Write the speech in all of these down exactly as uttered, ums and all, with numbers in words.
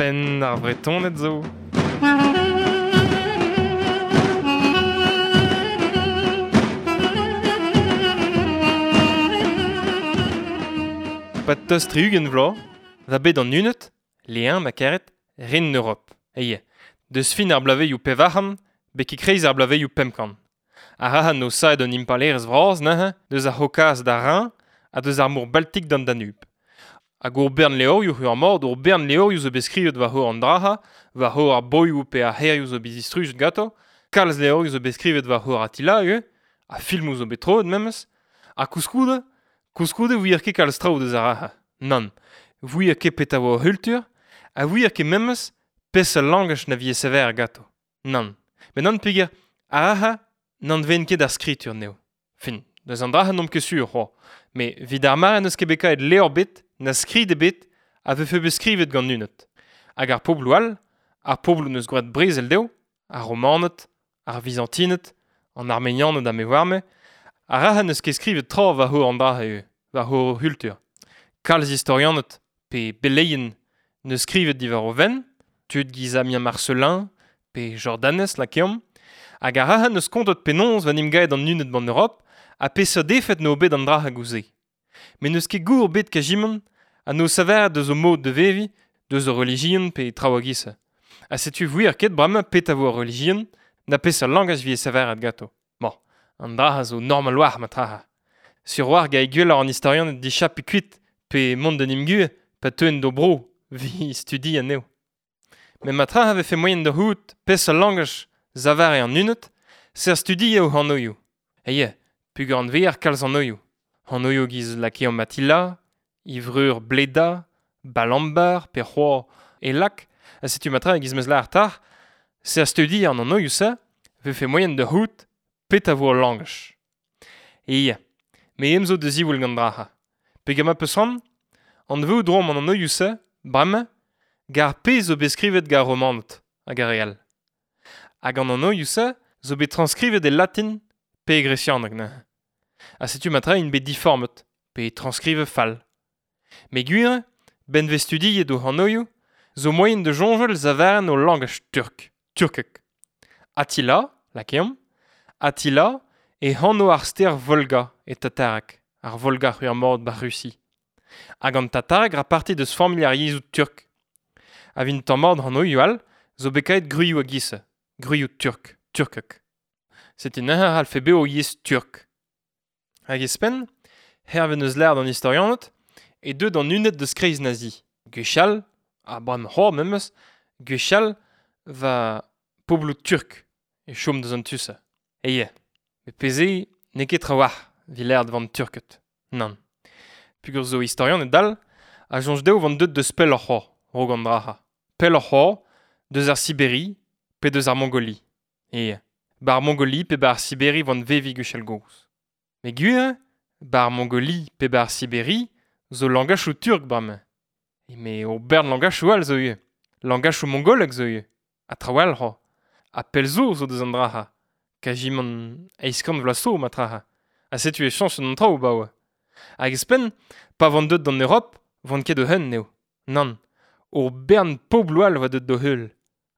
Penn ar Vretoned zo. Pat tost tri-ugent vloaz, va bet an Huned, lein ma karet, ren Europe. Eie, deus fin ar blaveioù pevar-c'hant, betek kreiz ar blaveioù pemp-kant. Ar rahan no saet an impalerezh vras neuze, deus ar C'haucase d'ar Rhin ha deus ar mor Baltik d'an Danube. Hag ur bern levrioù ur mord, ur bern levrioù zo bet skrivet war hor an draha, war hor ar boioù pe ar c'hêrioù zo bet distrujet ganto, kalz levrioù zo bet skrivet war hor Attila ivez, ha filmoù zo bet troet memes, ha koulskoude, koulskoude 'ouier ket kalz traoù deus ar raha. Nann, 'ouier ket petra 'oa o c'hultur, ha 'ouier ket memes peseurt langaj na vije sevenet ganto. Nann, met nann peogwir ar raha n'anveent ket ar skritur anezho. Fin, deus an draha n'omp ket sur c'hoazh, met evit ar mare n'eus ket bet kavet levr ebet, na skrid ebet, a vefe bet skrivet gant Huned. Hag ar pobloù all, ar pobloù n'eus gwraet brezel dezho, ar Romaned, ar Vizantined, an Armenianed ha me 'oar-me, ar raha n'eus ket skrivet tra war hor an draha ivez, war hor c'hultur. Kalz istorianed, pe beleien, n'eus skrivet diwar o fenn, tud giz Amien Marcelin, pe Jordanes lakeomp, hag ar raha n'eus kontet penaos 'va 'n em gaet an Huned b'an Europ, ha peseurt efed 'no bet an draha gouze. Met n'eus ket gour bet kajimant, ha n'o saveret deus o mod de veviñ, deus o relijion pe traoù a-giz-se. Ha setu 'ouier ket bremañ petra 'vo ar relijion, na peseurt langaj 'vije saveret ganto. Bon, an draha zo normal 'walc'h ma traha. Sur 'walc'h 'gae gwelloc'h an istorianed dichapiñ kuit pe mont d'en em guzh pa teuent d'o bro 'vit studiañ anezho. Met ma traha 'vefe moaien da c'hoût peseurt langaj savare an Huned, ser studiañ o anvioù. Eie, peogwir anveer kalz anvioù. Anvioù giz lakeomp Attila, Ivreur Bleda, Balambar pe c'hoazh Elak, ha setu ma tra e giz 'meus lâret tac'h, ser studiañ an anvioù-se 'vefe moaien da c'hoût petra 'vo al langaj. Eie, me em zo da ziwall gant draha. Peogwir ma 'peus c'hoant, anveout 'roomp an anvioù-se, bremañ, gant ar pezh zo bet skrivet gant ar Romaned hag ar re all. Hag an anvioù-se zo bet transkrivet e latin pe e gresianeg neuze. Ha setu ma tra int bet diformet, pe transkrivet fall. Met gwir eo, 'benn 'vez studiet o anvioù, zo moaien da soñjal savaren o langaj turk, turkek. Attila, lakeomp, Attila e anv ar stêr Volga e tatareg, ar Volga c'hwi ar mord 'ba Rusi. Hag an tatareg 'ra parti deus familh ar yezhoù turk. Ha 'vit tamm mat anvioù all zo bet kavet gwrioù a-giz-se, gwrioù turk, turkek. Setu neuze a c'hallfe bezañ o yezh turk. Hag ouzhpenn, hervez n'eus lâret an istorianed, e deu d'an Huned deus kreiz Nazi. Gwechall, ha bremañ c'hoazh memes, gwechall va pobloù turk e chom deus an tu-se. Eie, met pezh eo n'eo ket trawalc'h 'vit lâret 'vant Turked. Nann. Peogwir zo istorianed all a soñj dezho 'vant deuet deus pelloc'h c'hoazh, 'raok an draha. Pelloc'h c'hoazh, deus ar Siberi pe deus ar Mongoli. Eie, 'bar Mongoli pe 'bar Siberi 'vant veviñ gwechall gozh. Met gwir eo, 'bar Mongoli pe 'bar Siberi zo langachoù turk bremañ. Met ur bern langachoù all zo ivez. Langachoù mongolek zo ivez. Ha traoù all c'hoazh. Ha pell zo zo deus an draha. Kajimant eizh kant vloaz zo ma traha. Ha setu e chañchet an traoù 'baoe. Hag ouzhpenn, pa vant deuet d'an Europ, 'vant ket o-unan eo. Nann, ur bern pobloù all 'oa deuet d'o heul.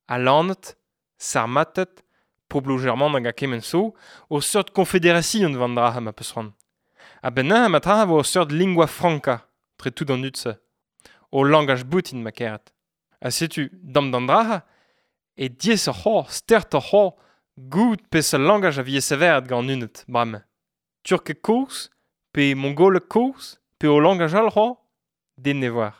Alaned, Sarmated, pobloù germanek ha kement zo, ur seurt konfederasion 'vant draha ma 'peus c'hoant. A-benn neuze ma traha 'vo ur seurt lingua franca tre tout an dud-se. O langaj boutin ma karet. Ha setu, dam d'an draha, e diaesoc'h c'hoazh, stertoc'h c'hoazh, goût peseurt langaj a vije severet gant an Huned, bremañ. Turkeg kozh, pe mongoleg kozh, pe o langaj all c'hoazh, den ne oar.